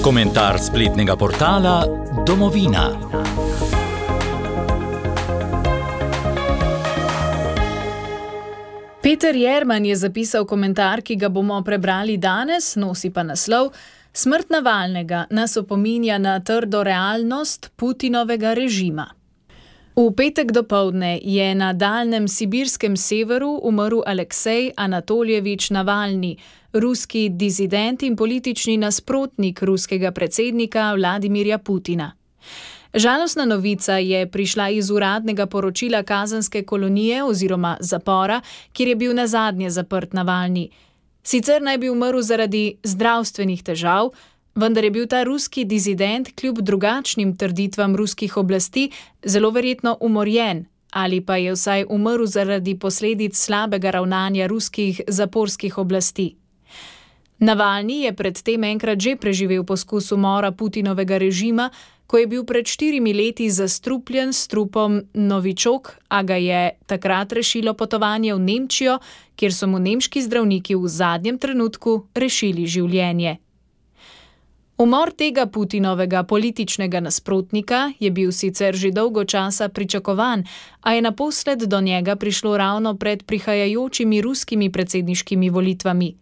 Komentar spletnega portala Domovina. Peter Jerman je zapisal komentar, ki ga bomo prebrali danes, nosi pa naslov: Smrt Navalnega nas opominja na trdo realnost Putinovega režima. V petek dopoldne je na daljnem sibirskem severu umrl Aleksej Anatoljevič Navalni, ruski dizident in politični nasprotnik ruskega predsednika Vladimirja Putina. Žalostna novica je prišla iz uradnega poročila kazenske kolonije oziroma zapora, kjer je bil nazadnje zaprt Navalni. Sicer naj bi umrl zaradi zdravstvenih težav, vendar je bil ta ruski dizident kljub drugačnim trditvam ruskih oblasti zelo verjetno umorjen ali pa je vsaj umrl zaradi posledic slabega ravnanja ruskih zaporskih oblasti. Navalni je predtem enkrat že preživel poskus umora Putinovega režima, ko je bil pred 4 leti zastrupljen s trupom novičok, a ga je takrat rešilo potovanje v Nemčijo, kjer so mu nemški zdravniki v zadnjem trenutku rešili življenje. Umor tega Putinovega političnega nasprotnika je bil sicer že dolgo časa pričakovan, a je naposled do njega prišlo ravno pred prihajajočimi ruskimi predsedniškimi volitvami.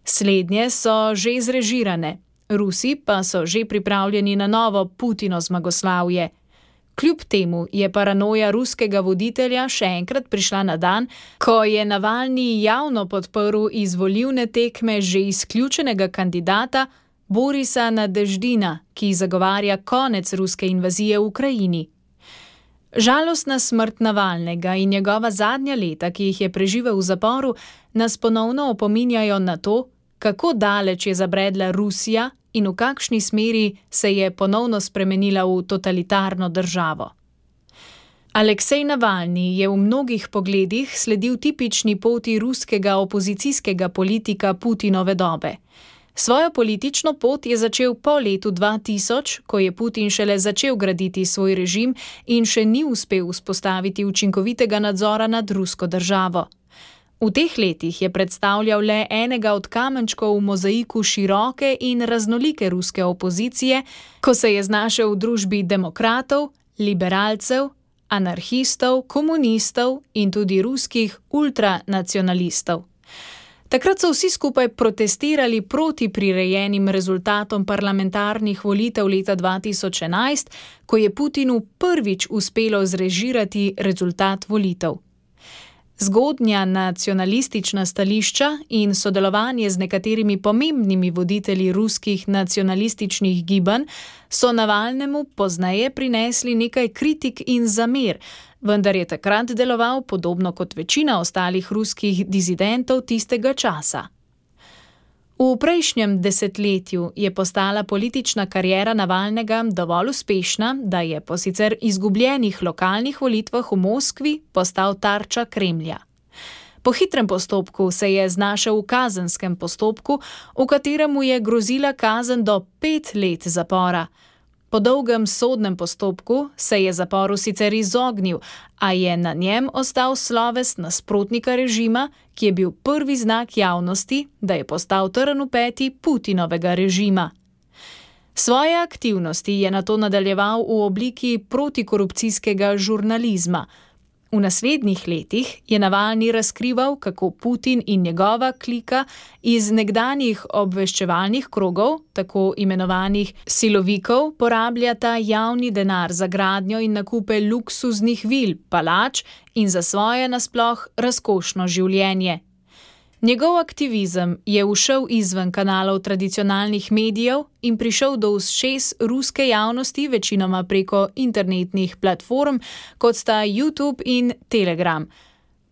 Slednje so že zrežirane, Rusi pa so že pripravljeni na novo Putino zmagoslavje. Kljub temu je paranoja ruskega voditelja še enkrat prišla na dan, ko je Navalni javno podprl iz volilne tekme že izključenega kandidata Borisa Nadeždina, ki zagovarja konec ruske invazije v Ukrajini. Žalostna smrt Navalnega in njegova zadnja leta, ki jih je preživel v zaporu, nas ponovno opominjajo na to, kako daleč je zabredla Rusija in v kakšni smeri se je ponovno spremenila v totalitarno državo. Aleksej Navalni je v mnogih pogledih sledil tipični poti ruskega opozicijskega politika Putinove dobe. Svojo politično pot je začel po letu 2000, ko je Putin šele začel graditi svoj režim in še ni uspel vzpostaviti učinkovitega nadzora nad rusko državo. V teh letih je predstavljal le enega od kamenčkov v mozaiku široke in raznolike ruske opozicije, ko se je znašel v družbi demokratov, liberalcev, anarhistov, komunistov in tudi ruskih ultranacionalistov. Takrat so vsi skupaj protestirali proti prirejenim rezultatom parlamentarnih volitev leta 2011, ko je Putinu prvič uspelo zrežirati rezultat volitev. Zgodnja nacionalistična stališča in sodelovanje z nekaterimi pomembnimi voditelji ruskih nacionalističnih gibanj so Navalnemu pozneje prinesli nekaj kritik in zamer, vendar je takrat deloval podobno kot večina ostalih ruskih dizidentov tistega časa. V prejšnjem desetletju je postala politična kariera Navalnega dovolj uspešna, da je po sicer izgubljenih lokalnih volitvah v Moskvi postal tarča Kremlja. Po hitrem postopku se je znašel v kazenskem postopku, v katerem mu je grozila kazen do 5 let zapora. Po dolgem sodnem postopku se je zaporu sicer izognil, a je na njem ostal sloves nasprotnika režima, ki je bil prvi znak javnosti, da je postal trn v peti Putinovega režima. Svoje aktivnosti je nato nadaljeval v obliki protikorupcijskega žurnalizma. V naslednjih letih je Navalni razkrival, kako Putin in njegova klika iz nekdanjih obveščevalnih krogov, tako imenovanih silovikov, porabljata javni denar za gradnjo in nakupe luksuznih vil, palač in za svoje nasploh razkošno življenje. Njegov aktivizem je ušel izven kanalov tradicionalnih medijev in prišel do ušes ruske javnosti večinoma preko internetnih platform, kot sta YouTube in Telegram.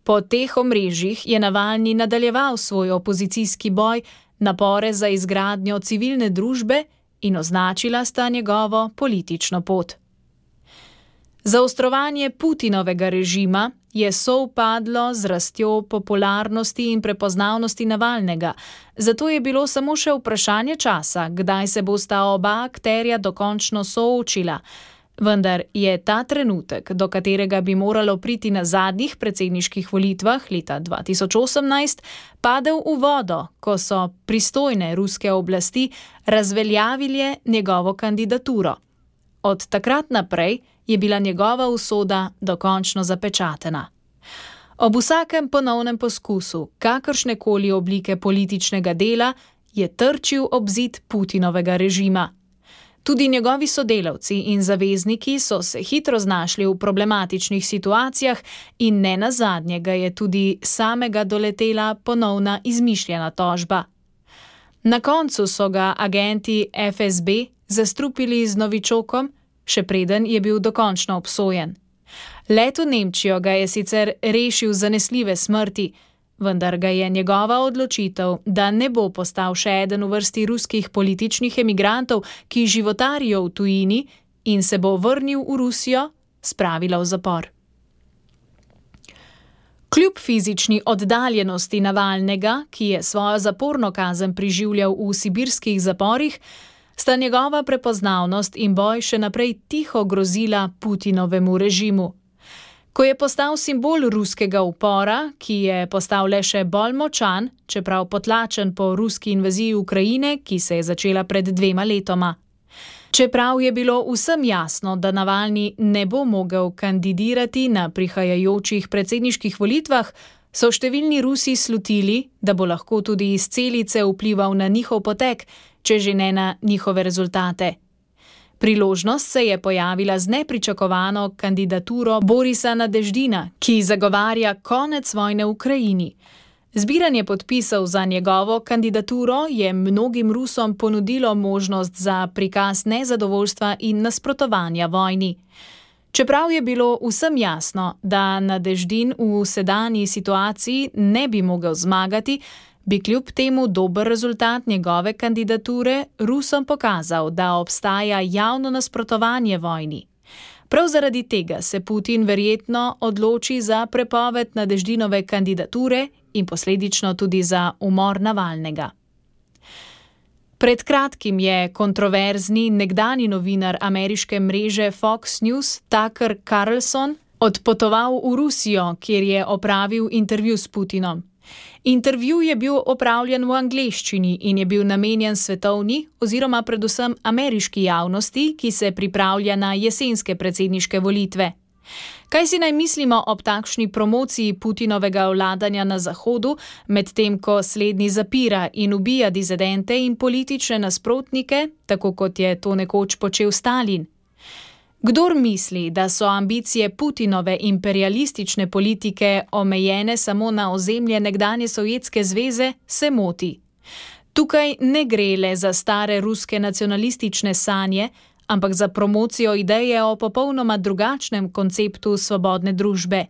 Po teh omrežjih je Navalni nadaljeval svoj opozicijski boj, napore za izgradnjo civilne družbe in označila sta njegovo politično pot. Zaostrovanje Putinovega režima je sovpadlo z rastjo popularnosti in prepoznavnosti Navalnega, zato je bilo samo še vprašanje časa, kdaj se bosta oba akterja dokončno soočila. Vendar je ta trenutek, do katerega bi moralo priti na zadnjih predsedniških volitvah leta 2018, padel v vodo, ko so pristojne ruske oblasti razveljavile njegovo kandidaturo. Od takrat naprej je bila njegova usoda dokončno zapečatena. Ob vsakem ponovnem poskusu kakršnekoli oblike političnega dela je trčil ob zid Putinovega režima. Tudi njegovi sodelavci in zavezniki so se hitro znašli v problematičnih situacijah in nenazadnje ga je tudi samega doletela ponovna izmišljena tožba. Na koncu so ga agenti FSB zastrupili z novičokom, še preden je bil dokončno obsojen. Let v Nemčijo ga je sicer rešil zanesljive smrti, vendar ga je njegova odločitev, da ne bo postal še eden v vrsti ruskih političnih emigrantov, ki životarijo v tujini in se bo vrnil v Rusijo, spravila v zapor. Kljub fizični oddaljenosti Navalnega, ki je svojo zaporno kazen preživljal v sibirskih zaporih, sta njegova prepoznavnost in boj še naprej tiho grozila Putinovemu režimu. Ko je postal simbol ruskega upora, ki je postal le še bolj močan, čeprav potlačen po ruski invaziji Ukrajine, ki se je začela pred 2 letoma. Čeprav je bilo vsem jasno, da Navalni ne bo mogel kandidirati na prihajajočih predsedniških volitvah, so številni Rusi slutili, da bo lahko tudi iz celice vplival na njihov potek, če že ne na njihove rezultate. Priložnost se je pojavila z nepričakovano kandidaturo Borisa Nadeždina, ki zagovarja konec vojne v Ukrajini. Zbiranje podpisov za njegovo kandidaturo je mnogim Rusom ponudilo možnost za prikaz nezadovoljstva in nasprotovanja vojni. Čeprav je bilo vsem jasno, da Nadeždin v sedanji situaciji ne bi mogel zmagati, bi kljub temu dober rezultat njegove kandidature Rusom pokazal, da obstaja javno nasprotovanje vojni. Prav zaradi tega se Putin verjetno odloči za prepoved Nadeždinove kandidature in posledično tudi za umor Navalnega. Pred kratkim je kontroverzni nekdanji novinar ameriške mreže Fox News Tucker Carlson odpotoval v Rusijo, kjer je opravil intervju s Putinom. Intervju je bil opravljen v angleščini in je bil namenjen svetovni oziroma predvsem ameriški javnosti, ki se pripravlja na jesenske predsedniške volitve. Kaj si naj mislimo ob takšni promociji Putinovega vladanja na Zahodu, medtem ko slednji zapira in ubija dizidente in politične nasprotnike, tako kot je to nekoč počel Stalin? Kdor misli, da so ambicije Putinove imperialistične politike omejene samo na ozemlje nekdanje Sovjetske zveze, se moti. Tukaj ne gre le za stare ruske nacionalistične sanje, ampak za promocijo ideje o popolnoma drugačnem konceptu svobodne družbe.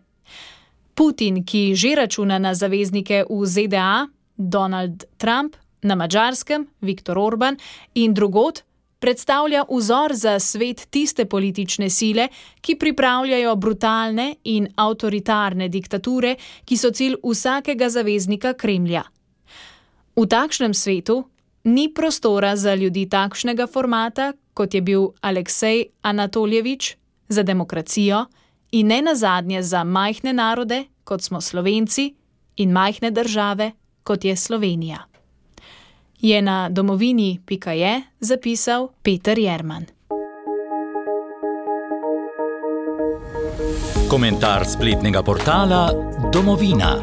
Putin, ki že računa na zaveznike v ZDA, Donald Trump, na Madžarskem, Viktor Orban in drugod, predstavlja vzor za svet tiste politične sile, ki pripravljajo brutalne in avtoritarne diktature, ki so cilj vsakega zaveznika Kremlja. V takšnem svetu ni prostora za ljudi takšnega formata, kot je bil Aleksej Anatoljevič, za demokracijo in ne nazadnje za majhne narode, kot smo Slovenci, in majhne države, kot je Slovenija. Je na domovini.je zapisal Peter Jerman. Komentar spletnega portala Domovina.